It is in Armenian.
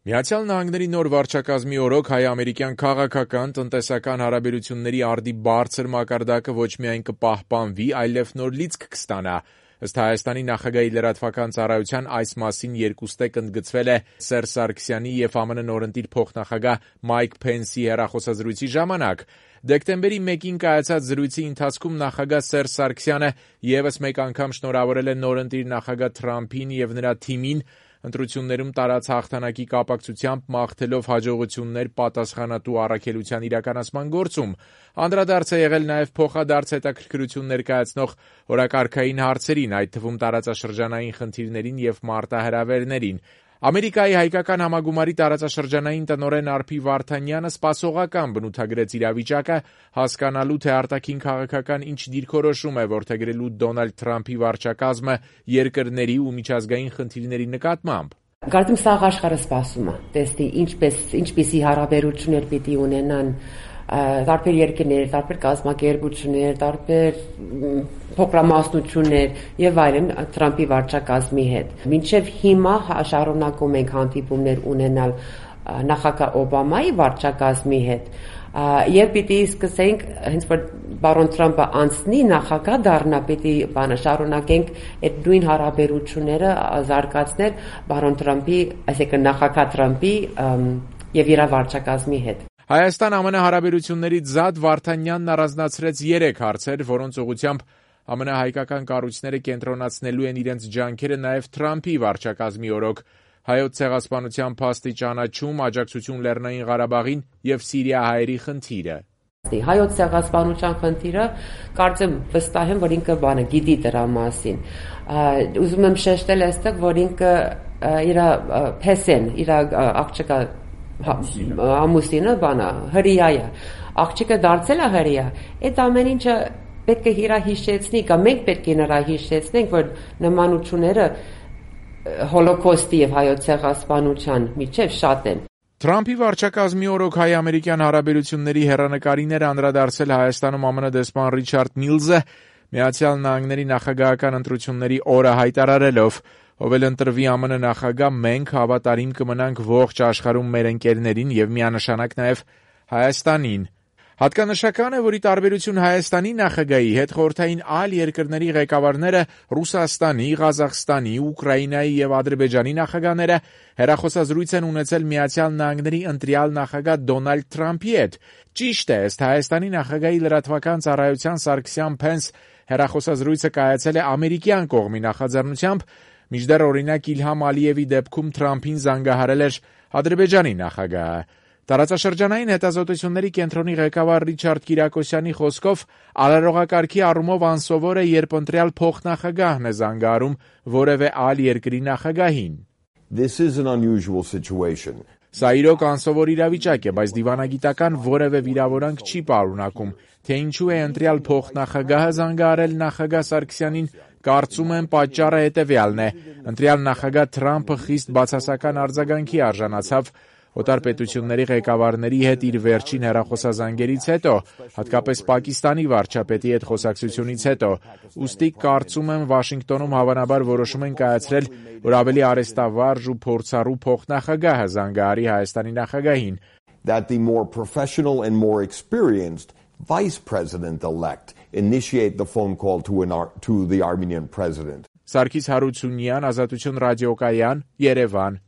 Միացյալ Նահանգների նոր վարչակազմի օրոք հայ-ամերիկյան քաղաքական, տնտեսական հարաբերությունների արդի բարձր մակարդակը ոչ միայն կպահպանվի, այլև նոր լիցք կստանա։ Ըստ Հայաստանի նախագահի լրատվական ծառայության այս մասին երկուստեք ընդգծվել է Սերժ Սարգսյանի և ԱՄՆ նորընտիր փոխնախագահ Մայք Փենսի հեռախոսազրույցի ժամանակ։ Դեկտեմբերի 1-ին կայացած զրույցի ընթացքում նախագահ Սերժ Սարգսյանը ևս մեկ անգամ շնորհավորել է նորընտիր նախագահ Թրամփին և նրա թիմին, ընտրություններում տարած հաղթանակի կապակցությամբ մաղթելով հաջողություններ պատասխանատու առաքելության իրականացման գործում։ Անդրադարձ է եղել նաև փոխադարձ հետաքրքրություն ներկայացնող օրակարգային հարցերին, այդ թվում տարածաշրջանային խնդիրներին և մարտահրավերներին։ Ամերիկայի հայկական համագումարի տարածաշրջանային տնօրեն Արփի Վարդանյանը սպասողական բնութագրեց իրավիճակը, հասկանալու, թե արտաքին քաղաքական ինչ դիրքորոշում է որդեգրելու Դոնալդ Թրամփի վարչակազմը երկրների ու միջազգային խնդիրների նկատմամբ։ Կարծում սաղ աշխարհը սպասում է, տեսնի ինչպիսի հարաբերություններ պիտի ունենան տարբեր երկրներ, տարբեր կազմակերպություններ, տարբեր փոքրամասնություններ եւ այլն Թրամփի վարչակազմի հետ։ Մինչեւ հիմա շարունակում ենք հանդիպումներ ունենալ նախագահ Օբամայի վարչակազմի հետ եւ պիտի սկսենք հենց որ բարոն Թրամփը անցնի նախագահ դառնա, պիտի շարունակենք այդ նույն հարաբերությունները զարգացնել բարոն Թրամփի, այսինքն նախագահ Թրամփի եւ իր վարչակազմի հետ։ Հայաստան-ԱՄՆ հարաբերություններից զատ Վարդանյանն առանձնացրեց 3 հարցեր, որոնց ուղղությամբ ԱՄՆ հայկական կառույցները կենտրոնացնելու են իրենց ջանքերը նաև Թրամփի վարչակազմի օրոք՝ Հայոց ցեղասպանության փաստի ճանաչում, աջակցություն Լեռնային Ղարաբաղին եւ Սիրիահայերի խնդիրը։ Հայոց ցեղասպանության խնդիրը կարծեմ վստահ եմ, որ ինքը գիտի դրա մասին։ Ուզում եմ շեշտել այստեղ, որ ինքը իր փեսեն, իր աղջիկը ամուսինը հրեա է, աղջիկը դարձել է հրեա, այդ ամեն ինչը պետք է իրա հիշեցնի, կամ մենք պետք է նրա հիշեցնենք, որ նմանությունները հոլոկոստի եւ հայոց ցեղասպանության միջև շատ են։ Թրամփի վարչակազմի օրոք հայ-ամերիկյան հարաբերությունների հեռանկարին էր անդրադարձել Հայաստանում ԱՄՆ դեսպան Ռիչարդ Միլզը, Միացյալ Նահանգների նախագահական ընտրությունների օրը հայտարարելով. «Ով էլ ընտրվի ԱՄՆ նախագահ, մենք հավատարիմ կմնանք ողջ աշխարհում մեր ընկերներին եւ միանշանակ նաեւ Հայաստանին»։ Հատկանշական է, որ ի տարբերություն Հայաստանի նախագահի հետ խորհրդային այլ երկրների ղեկավարները Ռուսաստանի, Ղազախստանի, Ուկրաինայի եւ Ադրբեջանի նախագահները հեռախոսազրույց են ունեցել Միացյալ Նահանգների ընտրյալ նախագահ Դոնալդ Թրամփի հետ։ Ճիշտ է, ըստ Հայաստանի նախագահի լրատվական ծառայության Սարգսյան Փենս հեռախոսազրույցը կայացել է ամերիկյան կողմի նախաձեռնությամբ, մինչդեռ օրինակ Իլհամ Ալիևի դեպքում Թրամփին զանգահարել էր Ադրբեջանի նախագահը։ Տարածաշրջանային հետազոտությունների կենտրոնի ղեկավար Ռիչարդ Կիրակոսյանի խոսքով արարողակարգի առումով անսովոր է, երբ ընտրյալ փոխնախագահն է զանգահարում որևէ այլ երկրի նախագահին։ Սա իրոք անսովոր իրավիճակ է, բայց դիվանագիտական որևէ վիրավորանք չի պարունակում, թե ինչու է ընտրյալ փոխնախագահը զանգահարել նախագահ Սարգսյանին, կարծում եմ պատճառը հետևյալն է. ընտրյալ նախագահ Թրամփը խիստ բացասական արձագանքի արժանացավ օտար պետությունների ղեկավարների հետ իր վերջին հեռախոսազանգերից հետո, հատկապես Պակիստանի վարչապետի հետ խոսակցությունից հետո, ուստի կարծում եմ Վաշինգտոնում հավանաբար որոշում են կայացրել, որ ավելի արեստավարժ ու փորձառու փոխնախագահը զանգահարի Հայաստանի նախագահին։ That the more professional and more experienced vice president-elect initiate the phone call to the Armenian president. Սարգիս Հարությունյան, Ազատություն ռադիոկայան, Երևան։